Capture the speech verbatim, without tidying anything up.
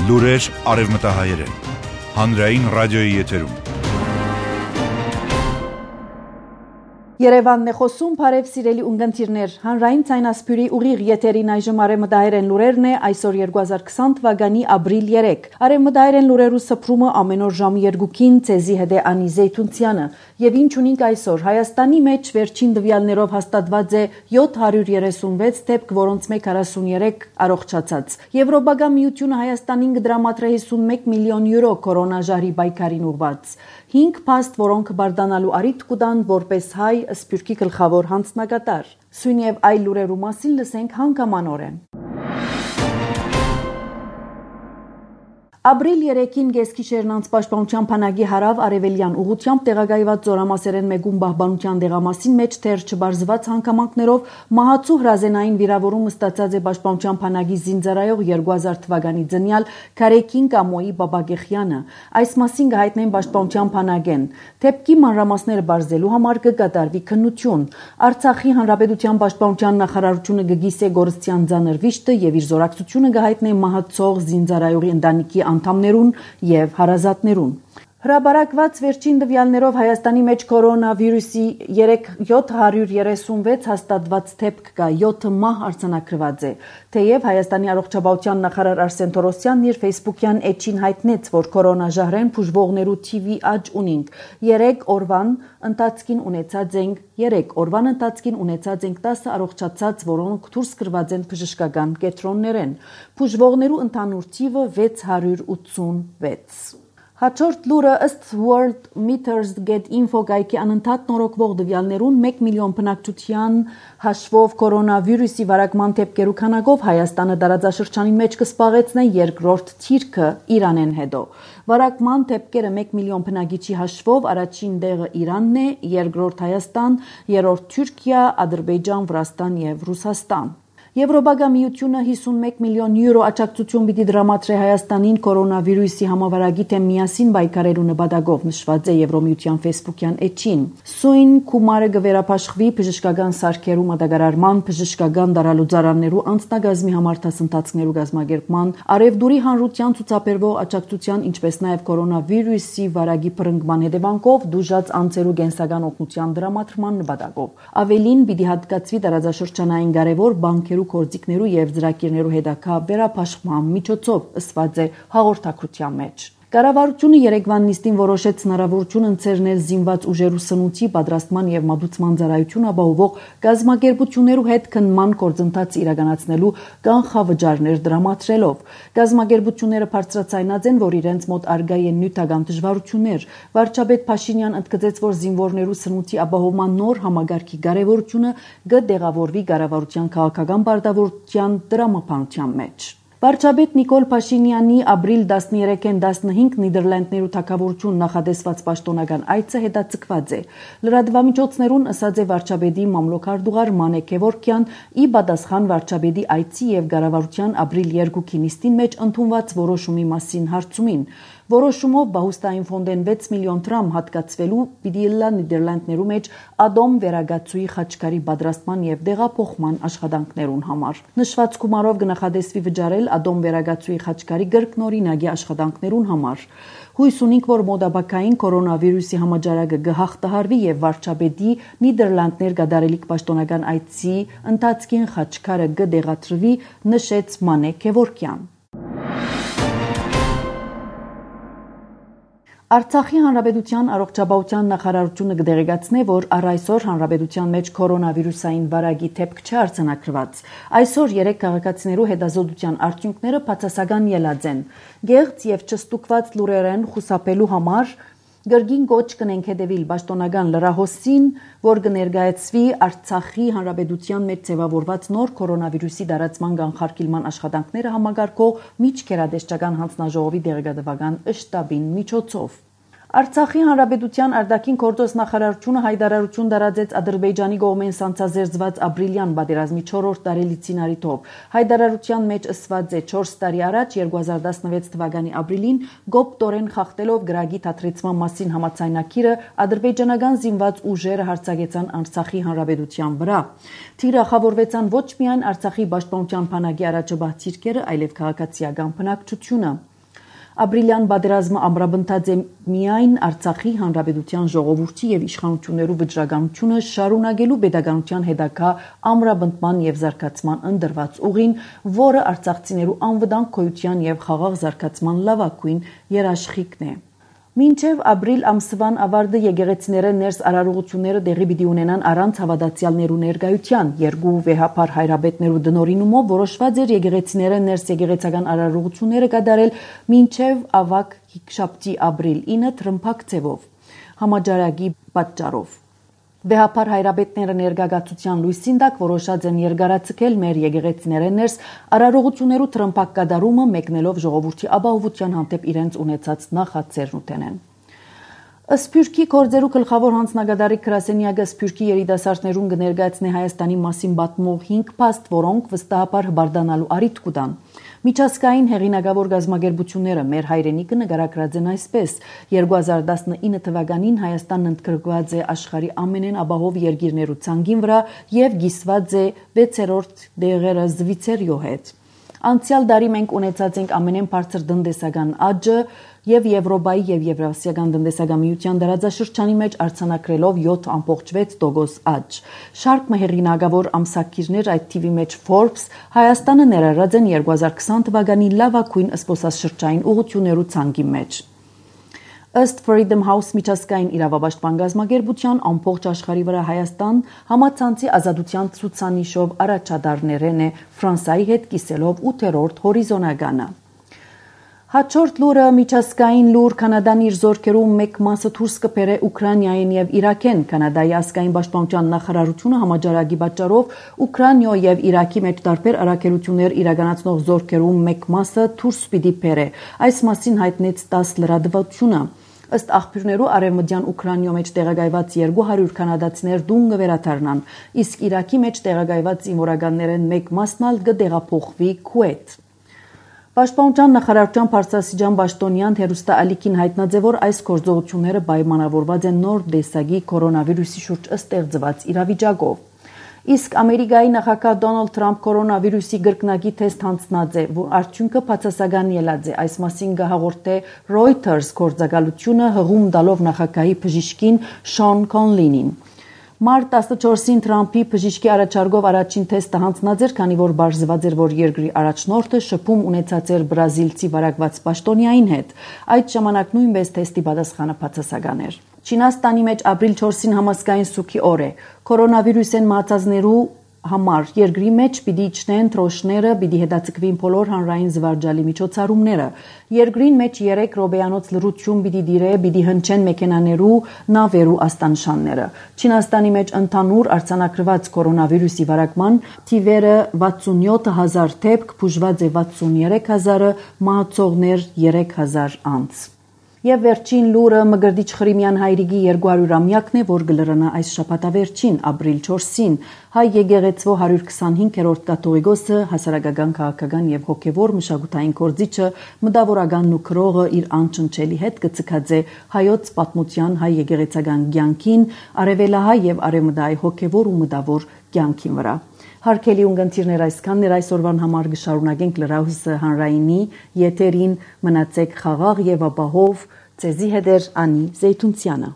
Լուրեր արևմտահայերեն, հանրային ռադիոյի եթերում։ Երևանն է խոսում, բարև սիրելի ունգընտիրներ, հանրային ցայնասպյուրի ուղիղ եթերին այժմ արևմտահայերեն լուրերն է այսօր երկու հազար քսան թվականի ապրիլ երեք։ Արևմտահայերեն լուրերու սփռումը ամեն օր ժամը երկուքին ցեզի հետ է Անի Զեյթունցյանը։ Եվ ինչ ունենք այսօր, Հայաստանի մեջ վերջին տվյալներով հաստատված է յոթ հարյուր երեսունվեց դեպք, որոնց մեկ հարյուր հարյուրյոթ առողջացած։ Եվրոպական միությունը Հայաստանին կդրամատրե հիսունմեկ միլիոն յուրո կորոնաժահրի պայքարին ուղղված։ Հինգ փաստ, որոնք բարդանալու առիթ կտան որպես հայ Սփյուռքի գլխավոր հանձնակատար։ Սույն եւ այլ լուրերու մասին լսենք հանգամանորեն։ Ապրիլ երեքին Գեսկիշերն անցպաշտպանության բանակի հարավ արևելյան ուղությամբ տեղակայված զորամասերեն մեկում պահպանության դեղամասին մեջ թեր չբարձված հանգամանքներով մահացու հրազենային վիրավորումը ստացած է պաշտպանության բանակի զինծառայող երկու հազար թվականի ձնյալ Քարեկին Կամոյի Բաբագեխյանը։ Այս մասին կհայտնեն պաշտպանության բանակեն։ Դեպքի մանրամասները բարձելու համար կկատարվի քննություն։ Արցախի հանրապետության պաշտպանության նախարարությունը կգիսե Գորստյան ձանր վիշտը եւ իր զորակցությունը կհայտնե մահացող զինծառայողի ընտանիքի անդամներուն եւ հարազատներուն։ Հրաբարակված վերջին տվյալներով Հայաստանի մեջ կորոնավիրուսի յոթ հարյուր երեսունվեց հաստատված դեպք կա, յոթ մահ արձանագրված է։ Թեև Հայաստանի առողջապահության նախարար Արսեն Թորոսյանն իր Facebook-յան էջին հայտնեց, որ կորոնաժահրեն բուժվողներու թիվի աճ ունենք։ երեք օրվան ընթացքին ունեցած ենք երեք օրվան ընթացքին ունեցած ենք տասը առողջացած, որոնք դուրս գրված են բժշկական կենտրոններեն։ Բուժվողներու ընդհանուր թիվը վեց հարյուր ութսունվեց։ Հաջորդ լուրը ըստ World Meters Get Info գայքի անընդհատ նորոգվող տվյալներուն մեկ միլիոն բնակչության հաշվով կորոնավիրուսի վարակման դեպքերու քանակով Հայաստանը տարածաշրջանի մեջ կսպաղեցնե երկրորդ թիրքը Իրանեն հետո։ Վարակման դեպքերը մեկ միլիոն բնակիչի հաշվով առաջին տեղը Իրանն է, երկրորդ Հայաստան, երրորդ Թուրքիա, Ադրբեջան, Վրաստան եւ Ռուսաստան։ Եվրոպական միությունը հիսունմեկ միլիոն յուրո աջակցություն պիտի դրամատրե Հայաստանին կորոնավիրուսի համավարակի դեմ միասին պայքարելու նպատակով նշված է Եվրոմիության Facebook-յան էջին։ Սույն գումարը կվերապաշխվի բժշկական սարքերու մատակարարման, բժշկական դարալուծարաններու անձնագազմի համար դասընթացներու կազմակերպման, արևդուրի հանրության ցուցաբերվող աջակցության, ինչպես նաև կորոնավիրուսի վարակի բռնկման հետևանքով դուժած անձերու կենսական օգնության դրամատրման նպատակով։ Ավելին պիտի հատկացվի տարածաշրջանային կարևոր բանկերու գործիքներու եւ ծրագիրներու հետագա վերապաշխման միջոցով ըսված է հաղորդակցության մեջ։ Կառավարությունը երեկվան նիստին որոշեց հնարավորություն ընձեռնել զինված ուժերու սնուցի պատրաստման եւ մատուցման ծառայություն ապահովող գազམ་ակերպություններու հետ քննման գործընթաց իրականացնելու կանխավճարներ դրամատրելով։ Գազམ་ակերպությունները բարձրացայնած են, որ իրենց մոտ արգա են նյութական դժվարություններ։ Վարչապետ Փաշինյան ընդգծեց, որ զինվորներու սնուցի ապահովման նոր համագարքի կարևորությունը կդեղավորվի կառավարության քաղաքական պարտավորության դրամապանության մեջ։ Վարչապետ Նիկոլ Փաշինյանի ապրիլ տասներեքին տասնհինգ Նիդերլանդներու թագավորություն նախադեсված պաշտոնական այցը հետաձգված է։ Լրատվամիջոցներուն ըսած է վարչապետի մամլոքարդուղար Մանե Քևորքյան ի պատասխան վարչապետի այցի եւ կառավարության ապրիլ երկուքի նիստին մեջ ընդունված որոշումի մասին հարցումին։ Որոշումով Բահուստային ֆոնդեն վեց միլիոն դրամ հատկացվելու պիտի լա Նիդերլանդներու մեջ ադոմ վերագացուի խաչքարի պատրաստման եւ դեղափոխման աշխատանքներուն համար։ Նշված գումարով կնախադեсվի վճարել ադոմ վերագացուի խաչքարի գրկնօրինակի աշխատանքներուն համար։ Հույս ունենք, որ մոդաբակային կորոնավիրուսի համաճարակը կհաղթահարվի եւ վարչապետի Նիդերլանդներ գդարելիք պաշտոնական այցի ընթացքին խաչքարը կդեղատրվի, նշեց Մանե Քևորքյան։ Արցախի հանրապետության առողջապահության նախարարությունը կդեղեկացնե, որ առ այսօր հանրապետության մեջ կորոնավիրուսային վարակի դեպք չարձանագրված։ Այսօր երեք քաղաքացիներու հետազոտության արդյունքները բացասական ելած են։ Գեղձ եւ չստուկված լուրերեն խուսափելու համար Գրգին կոչ կնենք հետևիլ պաշտոնական լրահոսին, որ կներկայացվի Արցախի հանրապետության մեջ ձևավորված նոր կորոնավիրուսի տարածման կանխարգելման աշխատանքները համագարկող միջկերադեսչական հանձնաժողովի դեղեկատվական շտաբին միջոցով։ Արցախի հանրապետության արտաքին գործոս նախարարությունը հայտարարություն տարածեց Ադրբեջանի կողմեն սանձազերծված ապրիլյան պատերազմի չորրորդ տարելիցին առիթով։ Հայտարարության մեջ ըսված է չորս տարի առաջ երկու հազար տասնվեց թվականի ապրիլին գոպտորեն խախտելով գրագի թատրեցման մասին համաձայնագիրը ադրբեջանական զինված ուժերը հարձակեցան Արցախի հանրապետության վրա։ Թիրախավորվեցան ոչ միայն Արցախի պաշտպանության բանակի առաջաբահ ցիրկերը, այլև քաղաքացիական բնակչությունը։ Ապրիլյան պատերազմը ամրապնդած է միայն Արցախի հանրապետության ժողովրդի եւ իշխանություններու վճռականությունը շարունակելու pedagogical հետագա ամրապնդման եւ զարգացման ընդրված ուղին, որը արցախցիներու անվտանգ գոյության եւ խաղաղ զարգացման լավագույն երաշխիքն է։ Մինչև ապրիլ ամսվան ավարտը եկեղեցիները ներս արարողությունները դեղի պիտի ունենան առանց հավատացյալներու ներկայության։ Երկու վեհապար հայրաբետներու դնորինումով որոշված էր եկեղեցիները ներս եկեղեցական արարողությունները կատարել մինչև ավագ հինգշաբթի ապրիլ ինը թրմփակ ձևով համաճարակի պատճառով։ Վեհապար հայրաբետները ներգաղացության լույսին տակ որոշած են երկարացկել մեր եկեղեցիները ներս արարողություններու թրմփակ կատարումը մեկնելով ժողովրդի ապահովության հանդեպ իրենց ունեցած նախաձեռն ուտենեն։ Սփյուռքի գործերու գլխավոր հանձնագետարի Գրասենյակը Սփյուռքի երիտասարդներուն կներկայացնի Հայաստանի մասին պատմող հինգ փաստ, որոնք վստահաբար հբարդանալու առիթ կտան։ Միջազգային հեղինակավոր գազམ་ագերբությունները մեր հայրենիքը նկարագրած են այսպես. երկու հազար տասնինը թվականին Հայաստանն ընդգրկված է աշխարհի ամենեն ապահով երկիրներու ցանկին վրա եւ գիսված է վեցերորդ դեղերը Զվիցերիո հետ։ Անցյալ տարի մենք ունեցած ենք ամենեն բարձր տնտեսական աճը եւ Եվրոպայի եւ Եվրասիական տնտեսական միության դարաձաշրջանի մեջ արձանագրելով յոթ տասնյոթ տոկոս աճ։ Շարք մհերինակավոր ամսակիրներ այդ թիվի մեջ Forbes Հայաստանը ներառած են երկու հազար քսան թվականի լավագույն զբոսաշրջային ուղղություններու ցանկի մեջ։ Ըստ Freedom House միջազգային իրավապաշտպան գազམ་ագերբության ամբողջ աշխարհի վրա Հայաստան համացանցի ազատության ցուցանիշով առաջադարներեն է Ֆրանսիայի հետ կիսելով ութերորդ հորիզոնականը։ Հաջորդ լուրը միջազգային լուր Կանադան իր զորքերու մեկ մասը դուրս կբերե Ուկրաինային եւ Իրաքեն։ Կանադայի ազգային պաշտպանության նախարարությունը համաճարակի պատճառով Ուկրաինա եւ Իրաքի մեջ տարբեր առաքելություններ իրականացնող զորքերու մեկ մասը դուրս պիտի բերե։ Այս մասին հայտնեց տաս լրատվությունը։ Ըստ աղբյուրներու արևմտյան Ուկրաինայո մեջ տեղակայված երկու հարյուր կանադացիներ դուն կվերադառնան, իսկ Իրաքի մեջ տեղակայված զինվորականներեն մեկ մասն ալ կտեղափոխվի Քուվեյթ։ Պաշտպանության նախարարության բարձրաստիճան պաշտոնյան հերոստալիքին հայտնած է, որ այս գործողությունները պայմանավորված են նոր տեսակի կորոնավիրուսի շուրջ ստեղծված իրավիճակով։ Իսկ Ամերիկայի նախագահ Դոնալդ Թրամփ կորոնավիրուսի գրկնակի թեստ հանձնած է, որ արդյունքը բացասական ելած է։ Այս մասին կհաղորդե Reuters գործակալությունը հղում տալով նախագահի բժիշկին Շոն Կոնլինին։ Մարտ տասնչորսին Թրամփի բժիշկի առաջարկով առաջին թեստը հանձնած էր, քանի որ բարձրված էր, որ երկրի առաջնորդը շփում ունեցած էր բրազիլցի վարակված պաշտոնյային հետ։ Այդ ժամանակ նույնպես թեստի պատասխանը բացասական էր։ Չինաստանի մեջ ապրիլ չորսին համազգային սուգի օր է։ Կորոնավիրուսեն մահացածներու համար երկրի մեջ պիտի իջնեն թրոշները, պիտի հետաձգվին բոլոր հանրային զվարճալի միջոցառումները։ Երկրին մեջ երեք րոպեանոց լռություն պիտի դիրե, պիտի հնչեն մեքենաներու նավերու աստանշանները։ Չինաստանի մեջ ընդհանուր արձանագրված կորոնավիրուսի վարակման թիվերը վաթսունյոթ հազար դեպք, բուժված է վաթսուներեք հազարը, մահացողներ երեք հազար անց։ Եվ վերջին լուրը Մկրտիչ Խրիմյան հայրիկի երկու հարյուրամյակն է, որ կլրանա այս շաբաթավերջին, ապրիլ չորսին, հայ եկեղեցվո հարյուր քսանհինգերորդ կաթողիկոսը, հասարակական, քաղաքական եւ հոգեվոր մշակութային գործիչը, մտավորականն ու քրողը իր անչնչելի հետ կցկած է հայոց պատմության հայ եկեղեցական կյանքին, արևելահայ եւ արևմտահայ հոգեվոր ու մտավոր կյանքին վրա։ Հարգելի ունգընտիրներ, այսքանն էր այսօրվան համար կշարունակենք լրահոսը հանրայինի եթերին, մնացեք խաղաղ եւ ապահով, ձեզի հետ էր Անի Զեյթունցյանը։